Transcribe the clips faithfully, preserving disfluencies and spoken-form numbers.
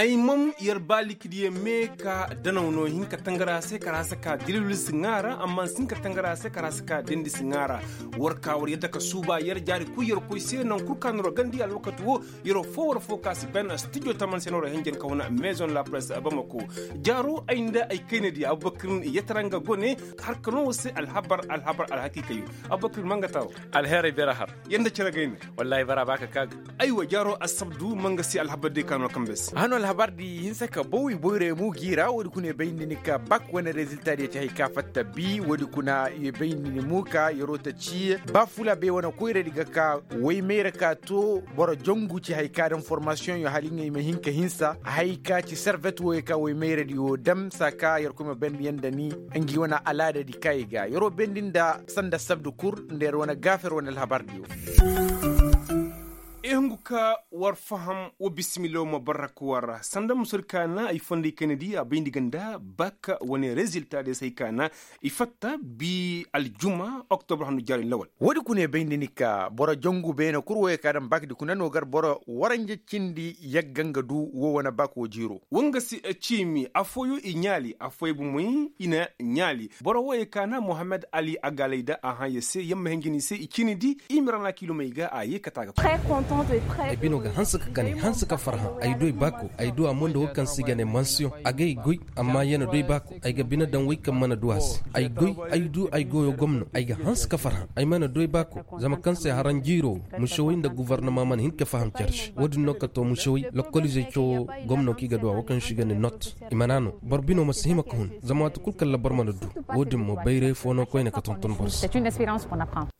Ay mam yer ba likidiyo me ka danaw no hin ka tangara se kara se ka dilbil si ŋaara amma si hin ka tangara se kara se ka dendi si ŋaara. War ka war yadda ka suuba yer jaari kuy yer koy se naŋ kul ka noro gandi alwakati wo. Yer wo fo war fo ka si ben studio taman se noro hinjin ka wane maison la presse bamako. Jaaro ay nda ay kayna di abubakar yataranŋa gone. Har ka no wo se alhabar alhabar alhakiikayo. Abubakar mangatawo. Alheeray bera har. Yanda cere gayna. Wallaahi bara ba ka kaaga. Aywa jaaro assabdu manga si alhabar day ka no kambe se. Hano alhabar di hinsa ka baw i boyray mu gi ra woodi kuna i bayndi ni ka bak wane rezilta di ya ci hay ka fatta bi woodi kuna i bayndi ni mu ka yeroo ta ci ba fula bay wane koyra di ga ka way mayra ka to boro jongu ci hay ka daŋ formasiyoŋ yo hala i ŋay ma hin ka hinsa hay ka ci servet wo ya ka way mayra di wo dam saa ka yerkoy ma bayndi yaŋ da ni ngi wane alaada di ka i ga yeroo bayndi nda sanda sabdu kur nda yer wane gaafer wane alhabar di wo. I hungu ka war faham wa bismillah ma barrak war sanda musur kaana ay fonday kayna di a bayndi ganda bak wane rezilta de say kaana i fatta bi aljuma oktobre handu jaari lawal. Woodi kuna i bayndi ni ka boro jongu beene kur wo ya ka daŋ bak di kuna no gar boro waranja cindi yagga nga du wo wane bak wo jiiro. Wanga si ciimi afooyo i ɲaali afooyo bomoy i na ɲaali. Boro wo ya kaana mohammed ali a gaalay da a hã ya se yamma hinjini se i ciini di. I ma ra na kiilumey ga a ye kate a ga. Ay bino ga hanse ka gane hanse ka farhã ay du ay baako ay du a mo nda wo kaŋ se i ga ne mansiyoŋ. A ga ay goy amma ya na du ay baako ay ga bine daŋ wey kaŋ mana du a se. Ay goy ay du ay goyo gomno ay ga hanse ka farhã ay mana du ay baako. Zama kaŋ se haranjiiro musewey nda govornoma mana hin ka faham care se wo-din no ka to musewey lokkolizey cawo. Gomno kaŋ i ga du a wo kaŋ se i ga ne not i mana no boro bino ma si hima ka hun. Zama waati kul kaŋ ra boro mana du wo-din mo bayray fo no koyne ka tonton boro se.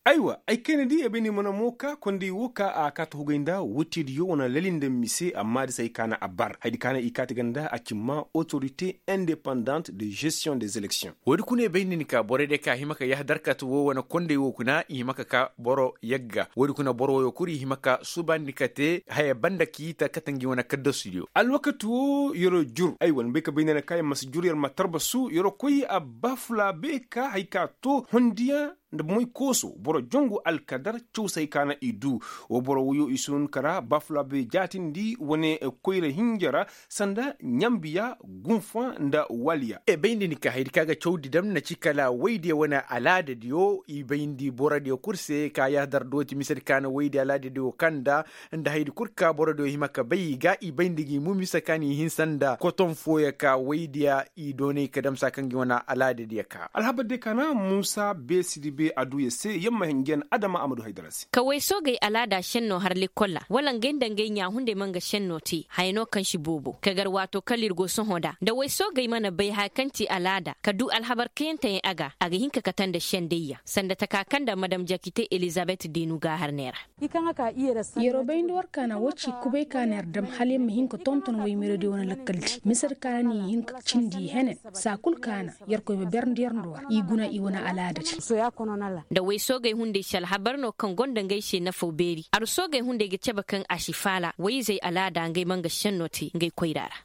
Aywa ay kayna di ay bay ni mana mo ka konday wo ka a ka ta hugay nda wootediyo wane lali nda mise amma di se ay kaana a bar haydi kaana i kaati ga nda a cimma autorité indépendante de gestion des élections. Woodi kuna i bay ni ni ka borey day ka hima ka yahadar ka ta wo wane konday wo kuna i hima ka ka boro yagga woodi kuna boro woyo kul i hima ka suubandi ka te haya banda ka i ta kate ngi wane kaddasudiyo alwakati wo yer'o jur aywa ni bay ka bay ne na ka yer ma si jur yer ma tarbasu yer'o koy a baafulaabe ka hay ka to hondiyaŋ nda moy kooso boro jongu alkadar cawsay ka na i du. Wo boro woyo i si hun ka ra baafulaabe jaatindi wane koyra hinja ra sanda ɲambiya gunfa nda waliya. E bayndi ni ka haydi ka ga cawdi dam na ci kala waydiya wane alaadadiyo i bayndi borodiyo kul se ka yaadar dooti misedi ka na waydiya alaadadiyo kanda nda haydi kul ka borodiyo hima ka bay i ga i bayndi gi mu mise ka na i hinsa nda koton fooyo ka waydiya i doonay ka damsa kaŋ gi wane alaadadiyo ka alhabar day ka na muusa beesidi be a du ya se yamma hinjan adama a ma du haydara se. Ka way soogey alaada šenno har lekkol ra wala ngey nda ngey ɲaahunday ma nga šenno te haya no kaŋ si boobo ka gar waato kala ir go sohõ nd'a nda way soogey mana bay haya kaŋ ti alaada ka du alhabar kayanteyaŋ a ga a ga hin ka kate nda šendayyaŋ sanda taka kaŋ nda madam jakite elizabet deenu gaaharney ra. Yeroo bayndi war kaana woo ci kubay kaana yer dam hala yer ma hin ka tonton waymeradiyo wane lakkaldi misedi kaana ni hin ka cindi henen saa kul kaana yerkoy ma berndi yer nda war i guna i wane alaadadi. Nda way soogey hunday si alhabar no kaŋ gonda ngey se nafaw beeri aru soogey hunday ga cebe kaŋ a si faala wayizey alaada ngey ma nga šenno te ngey koyra ra.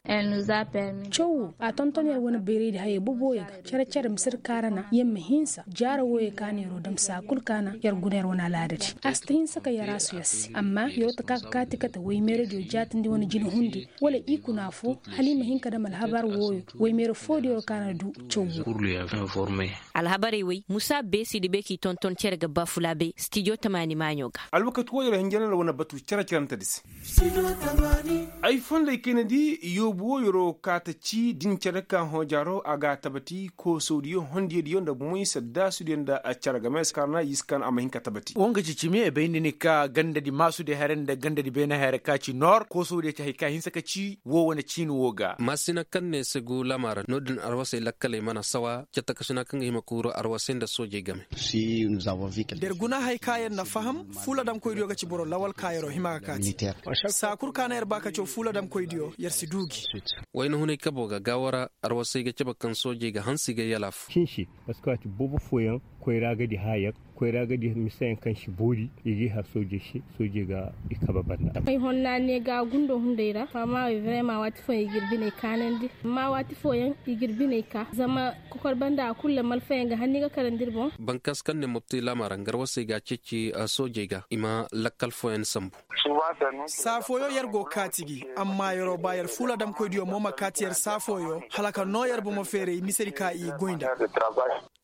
Caw woo a tonton yer wane bayraydi hayey boboyo ga cere-cere misedi kaana na yer ma hinsa jaara wooyo kaana yeroo dam saa kul kaana yer guna yer wane alaadadi a si ta hinsa ka yer a su yer se amma yeroo ta ka ka kaati kate waymeeradiyo jaatindi wane jina hundi wala i kuna foo hala i ma hin ka dam alhabar wooyo waymeera foodiyo kaana du. Caw woo alhabarey wey musa beesidi be k'i tonton cere ga baafulaabe stijo tamaani maaɲo ga. Alwakati wooyo ra hinjaney ra wane batu cere-cerentedi se. Ay fonday kayna di yoobu woo yeroo kaata ci din cere ka hõ jaaro a ga a tabati koosodiyo hondiyadiyo nda moy saddaasudiyo nda cere game se kaŋ ra na i si kaŋ a ma hin ka tabati. Woo nga ci cimi ay bayndi ni ka gandadi maasudiyo haray nda gandadi beene haray ka ci noor koosodiyo ci hay ka hinsa ka ci woo wane ciini woo ga. Maasina kaŋ ne segu lama ra no-din arwasey lakkaley mana sawa cettakasina kaŋ ga hima kuuru arwasey nda soojey game. Da yer guna hay ka yer na faham fuula damkoydiyo ga ci boro lawal ka yeroo hima ga kaati saa kul ka na yer ba ka caw fuula damkoydiyo yer si du gi. Wayna hunay kabo ga gaawo ra arwasey ga cabe kaŋ soojey ga hansi ga yalaafu. Sinsi parceque waati boobo fooyaŋ koyra ga di haya. Koyra ga di misayaŋ kaŋ si boori i ga i har soojey se. Soojey ga i kabe banda. Ay honna ne ga gundo hunday ra fama wey vrema waati fooyaŋ i ga ir biney kaanandi. Amma waati fooyaŋ i ga ir biney ka zama kokor banda a kulu ra malfayaŋ ga hanni ga karandi ir boŋ. Bankaas kaŋ ne mopti laama ra ngarwasey ga a ceeci soojey ga i ma lakkal fooyaŋ sambu. Saa fooyo yer go kaati gi. Amma yeroo ba yer fuula damkoydiyo mo ma kaati yer saa fooyo hala ka noo yer bomo feeray misedi ka i goy nda.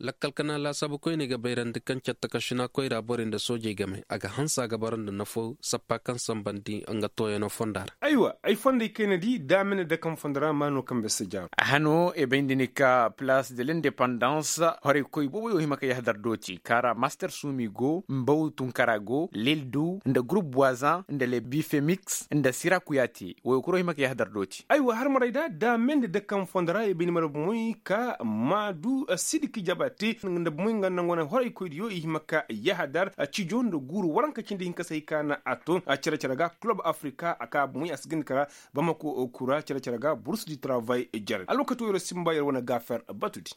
Lakkal kana laasaabu koyney ga bayrandi kaŋ catta ka šina koyra borey nda soojey game a ga hanse a ga bara nda nafo sappa kaŋ sambandi nga tooyanoo fonda ra. Aywa ay fonday kayna di daamene dakam fondo ra maanoo kambe si jaaro. Hano e bayndi ni ka place de l'indépendance horey koy booboyo hima ka yahadar dooti kaara master suumi go mbaw tunkara go leldu nda groupe boisan nda le bifemix nda sira kuyaate woyo kuro hima ka yahadar dooti. Aywa har maray da daamene dakam fondo ra e bayndi mara bomoy ka maadu sidiki jabate nda bomoy nga nangu wane horaykoydiyo i hima ka yahadar cijo nda guuru waranka cindi hinka se hay ka na a to cere-cere ga kulob afrika a ka bomoy a si gindi kara bamako kura cere-cere ga burus di taravay jere alwakati wo yer simba yer wane gaafer batudi.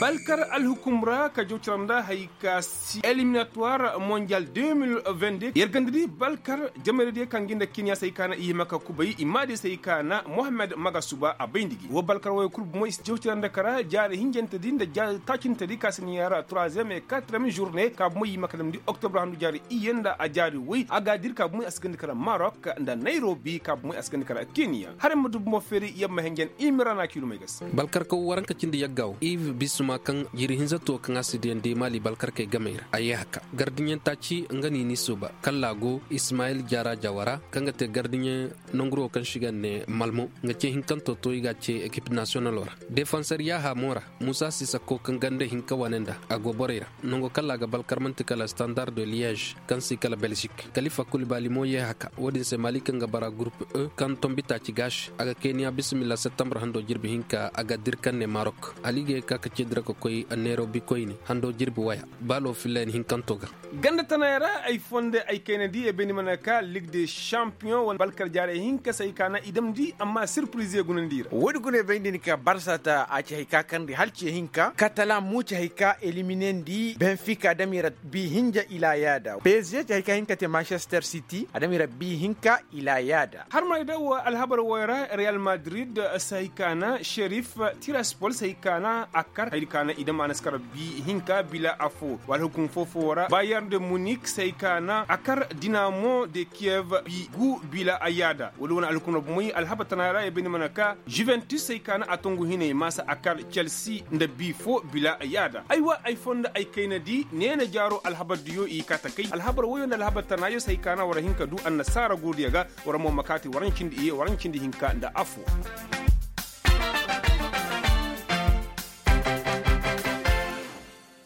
Balkar alhukum ra ka jaw cere nda hay ka si eliminatuwar mondial deux mille vingt-deux yer ganda di balkar jamayra diya kaŋ gi nda kiniya se hay ka na i hima ka kubay i ma di se hay ka na mohammed magasuba a bayndi gi wo balkar wo yer kul bomo i si jaw cere nda kara jaari hinjante di nda jaari taacinte di ka si ni yaara troisième et quatrième journée ka bomo i hima ka damndi oktobra handu jaari iyye nda a jaari woy a ga a diri ka bomo a si ganda kara marok nda nayrobi ka bomo a si ganda kara kiniya haray ma du bomo feeri yamma henjen imira na kiilumey ga se. Balkarkaw waranka cindi yagga wo iv bisuma kaŋ jiri hinza to kaŋ a si diyandi maali balkarkey gamey ra a yee haka gardiɲaŋ taaci nga ni ni suuba kalla go ismayil jaara jawara kaŋ ga te gardiɲaŋ nanguro kaŋ se i ga ne malmo nga ce hinkanto to i ga a ce ekip nasiyonalo ra defanser yaaha mo ra muusa sisako kaŋ ganda hinka wane nda a go borey ra nango kalla a ga balkar manti kala standard de liège kaŋ si kala belzik kalifa kulibali mo yee haka wo-din se maali kaŋ ga bara gurup e kaŋ tombi taaci gaasi a ga keniya bisimilla septembre hando jirbi hinka a ga diri kaŋ ne marok hala i ga ye ka ka ceedi ra ka koy neerobi koyne hando jirbi waya baalo fillayen hinkanto ga. Ganda tanay ra ay fonde ay kayna di e bayndi mana ka lig de champion wane balkar jaarey hinka se hay ka na i damndi amma sirpiriz ye gunandi i ra wo- din guna e bayndi ni ka barsata a ci hay ka kandi hala ci hinka katalan mo ci hay ka eliminandi benfika a dam i ra bi hinja ila yaada psg ci hay ka hinka te manchester city a dam i ra bi hinka ila yaada. Har ma i daw alhabar woy ra real madrid se hay ka na sherif tiraspol se hay ka na a kar hay ka na i dam a na si kar bi hinka bila affo wala hukum foo-foo ra bayern de munik se hay ka na a kar dinamo de kiev bi gu bila a yaada wala wane alhukum ra bomoy alhabar tana ra i bay ni mana ka juventus se hay ka na a tongu hinay maasa a kar chelsea nda bi foo bila a yaada aywa ay fondo ay kayna di neena jaaro alhabar diyo i kaa takay alhabar woyo nda alhabar tana yo se hay ka na war hin ka du annasaara guurudiyo ga war mo ma kaati war ɲa cindi iye war ɲa cindi hinka nda affo.